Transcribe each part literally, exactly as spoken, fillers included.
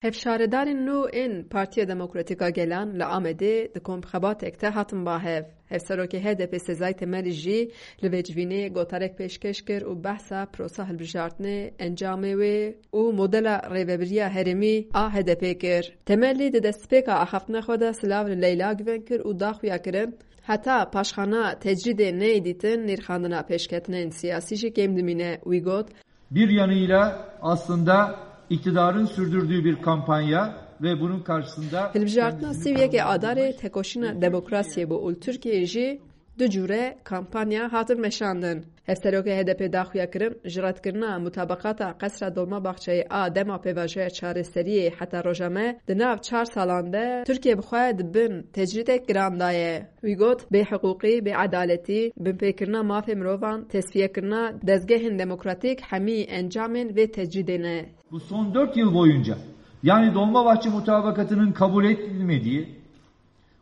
Hevşaredarên nû ên Partiya Demokratîk a Gelan li Amedê di komxebatek de hatin ba hev. Hevserokê H D P Sezai Temelî jî li vê civînê gotarek pêşkeş kir û behsa prosa hilbijartinê, encamê wê û modela rêvebiriya herêmî a H D P kir. Temelî di destpêka axaftina xwe de silav li Leyla Guven kir û da xuya kirin, heta paşxana tecrîdê neyê dîtin, nirxandina pêşketinên siyasî jî kêm dimîne. Wî got, Bir yanıyla aslında iktidarın sürdürdüğü bir kampanya ve bunun karşısında Hilbijartina sî û yekê Adarê tekoşîna demokrasiyê bû û li Tirkiyeyê jî du cûre kampanya hatin meşandin. Hevserokê H D P daxuya kirin, ji redkirina mutabaqata Qesra Dolmabahçeyê a dema pêvajoya çareseriyê heta roja me, di nav çar salan de Tirkiye bi xwe di bin tecrîdek giran de ye. Wî got, bêhiqûqî, bêedaletî, binpêkirina mafê mirovan, tesfiyekirina dezgehên demokratîk hemî encamên vê tecrîdê ne. Bu son dört yıl boyunca, yani Dolmabahçe Mutabakatı'nın kabul edilmediği,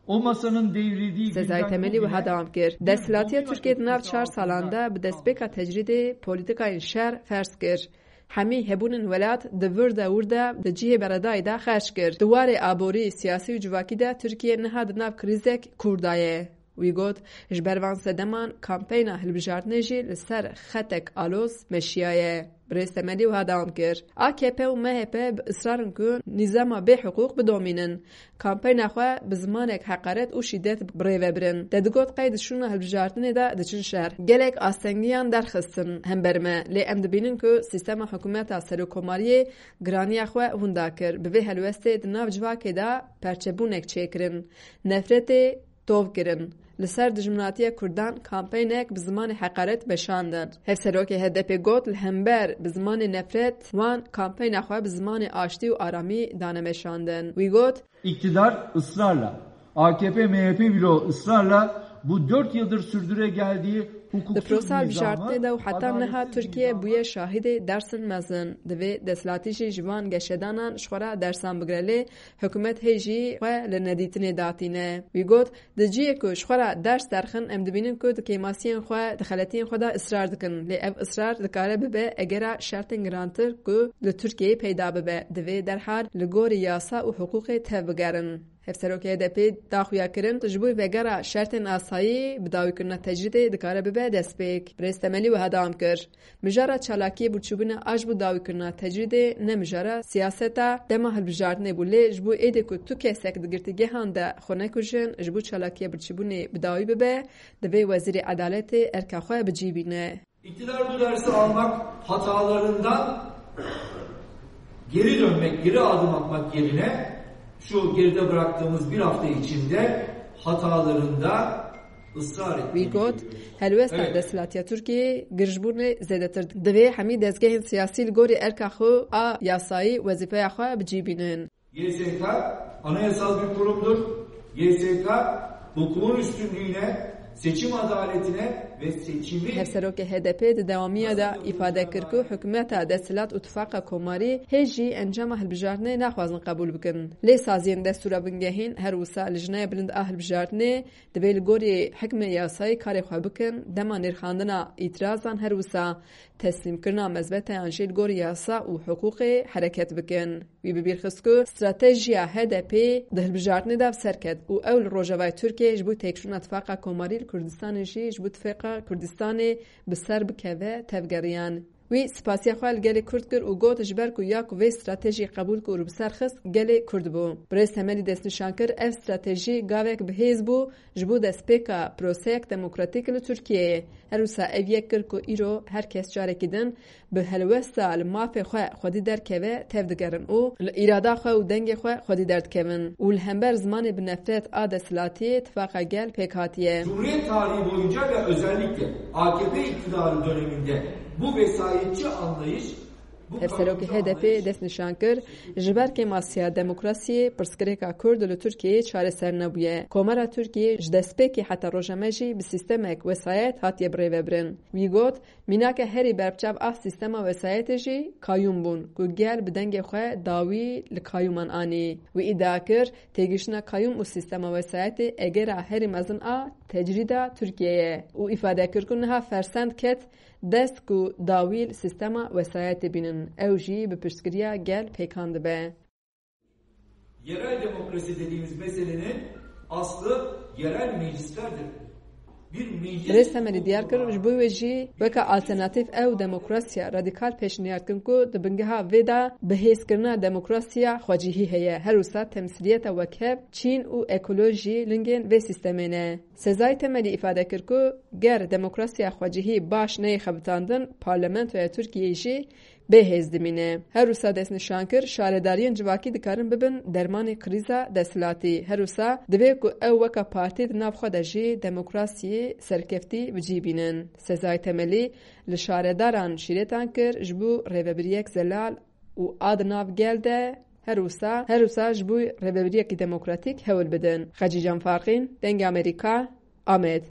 o masanın devrildiği Sezai günden Temelî bugüne wiha dewam kir, bir destehlatiya Tirkiyê di nav çar salan de bi destpêka tecrîdê polîtikayên şer ferz kir. Hemî hebûnên welat di vir de wir de di cihê beredayî de xerc kir. Di warê aborî, siyasî û civakî de Tirkiye niha di nav krîzek kûr de ye. Wî got, ji ber van sedeman kampeyna hilbijartinê jî li ser xetek aloz meşiyaye. Birêz Temelî wiha dewam kir, A K P û M H P bi israr in ku nîzama bêhiqûq bidomînin. Kampeyna xwe bi zimanek heqaret û şîdet bi rê ve birin. Te digot qey di şûna hilbijartinê de diçin şer. Gelek astengiyan derxistin hember me, lê em dibînin ku sîstema hikûmeta serokkomariyê giraniya xwe hunda kir. Bi vê helwestê di nav civakê de perçebûnek çêkirin. Nefretê tov kirin. Li ser dijminatiya Kurdan kampeynek bi zimanê heqaret meşandin. Hevserokê H D P got, li hember bi zimanê nefret wan kampeyna xwe bi zimanê aştî û aramî dane meşandin. Wî got, İktidar ısrarla, A K P M H P bloğu ısrarla bu dört yıldır sürdüre geldiği Di hukuksuz prosa nizama, hilbijartinê de û heta niha adaletsiz Tirkiye nizama bûye şahidê dersên mezin. Divê desthilatî jî ji van geşedanan ji xwe re dersan bigire, lê hikûmet hê jî xwe li nedîtinê datîne. Wî got, di cihê ku ji xwe re ders derxin, em dibînin ku di kêmasiyên xwe, di xeletiyên xwe de israr dikin. Lê ev israr dikare bibe egera şertên girantir ku li Tirkiyeyê peyda bibe. Divê derhal li gorî yasa û hiqûqê tev bigerin. Hevserokê H D P daxuya kirin, ji bo vegera şertên asayî, bidawîkirina tecrîdê dikare bibe destpêk. Birêz Temelî wiha dewam kir, Mijara çalakiyê birçîbûnê a ji bo dawîkirina tecrîdê ne mijara siyaseta dema hilbijartinê bû, lê ji bo êdî ku tu kesek di girtîgehan de xwe nekujin, ji bo çalakiya birçîbûnê bi dawî bibe, divê Wezîrê Edaletê erka xwe bi cî bîne. İktidar bu dersi almak, hatalarından geri dönmek, geri adım atmak yerine şu geride bıraktığımız bir hafta içinde hatalarında ısrar ettiğini görüyoruz. Wî got, helwesta Evet. desthilatiya Tirkiyeyê girjbûnê zêdetir. Divê hemî dezgehên siyasî li gorî erka xwe a yasayî wezîfeya xwe bi cî bînin. Y S K anayasal bir kurumdur. Y S K hukuğun üstünlüğüne, seçim adaletine ve seçimi Hevserokê H D P di dewamiya de îfade kir ku hikûmeta desthilat û tifaqa komarî hê jî encama hilbijartinê naxwazin qebûl bikin. Lê saziyên destûra bingehîn her wisa Lijneya Bilind a Hilbijartinê divê li gorî hikmê yasayî karê xwe bikin, dema nirxandina îtirazan her wisa teslîmkirina mezbeteyan jî li gorî yasa û hiqûqê hereket bikin. Wî bi bîr xist ku stratejiya H D P di hilbijartinê de bi ser ket û ew li Rojavayê Tirkiyeyê ji bo têkçûna tifaqa komarî li Kurdistanê jî ji bo tifaqa Kurdistanê bi ser bikeve tevgeriyan. Wî spasiya xwe li gelê Kurd kir û got, ji ber ku ya ku vê stratejiyê qebûl kir û bi ser xist, gelê Kurd bû. Birêz Temelî destnîşan kir, ev stratejî gavek bi hêz bû ji bo destpêka proseyek demokratîk li Tirkiyeyê. Her wisa ev yek kir ku îro her kes carekî din bi helwesta li mafê xwe xwedî derkeve tev digerin û li îrada xwe û dengê xwe xwedî derdikevin û li hember zimanê bi nefret a desthilatiyê tifaqa gel pêk hatiye. Cumhuriyet tarihi boyunca ve özellikle A K P iktidarı döneminde bu vesayetçi anlayış, bu Hevserokê kavramcı H D P anlayış destnîşan kir, ji ber kêmasiya demokrasiyê pirsgirêka Kurd li Tirkiyeyê çareser nebûye. Komara Tirkiyê ji destpêkê heta roja me jî bi sîstemek wesayet hatiye birêvebirin. Wî got, Mînake herî berbiçav a sîstema wesayetê jî kayûm bûn, ku gel bi dengê xwe dawî li kayûman anî. Wî îdia kir, têgihiştina kayûm û sîstema wesayetê egera herî mezin a tecrîda Tirkiyeyê ye û îfade kir ku niha fersend ket dest ku dawî li sîstema wesayetê bînin, ew jî bi piştgiriya gel pêkan dibe. Yerel demokrasi dediğimiz meselenin aslı yerel meclislerdir. Bir meclis Birêz Temelî diyar kir, ji bo wê jî weke alternatîf ew demokrasiya radîkal pêşniyar dikin ku di bingeha vê de bihêzkirina demokrasiya xwecihî heye. Her wisa temsîliyeta wekhev, çîn û ekolojî lingên vê sîstemê ne. Sezai Temelî îfade kir ku ger demokrasiya xwecihî baş neyê xebitandin, parlamentoya Tirkiyeyê jî bê hêz dimîne. Her wisa destnîşan kir, şaredariyên civakî dikarin bibin dermanê krîza desthilatî. Her wisa divê ku ew weke partî di nav xwe de jî demokrasiyê serkeftî bi cî bînin. Sezai Temelî li şaredaran şîretan kir, ji bo rêvebiriyek zelal û a di nav gel de her wisa, her wisa ji bo rêvebiriyekî demokratîk hewl bidin. Xecîcan Farqîn, Dengê Amerîka, Amed.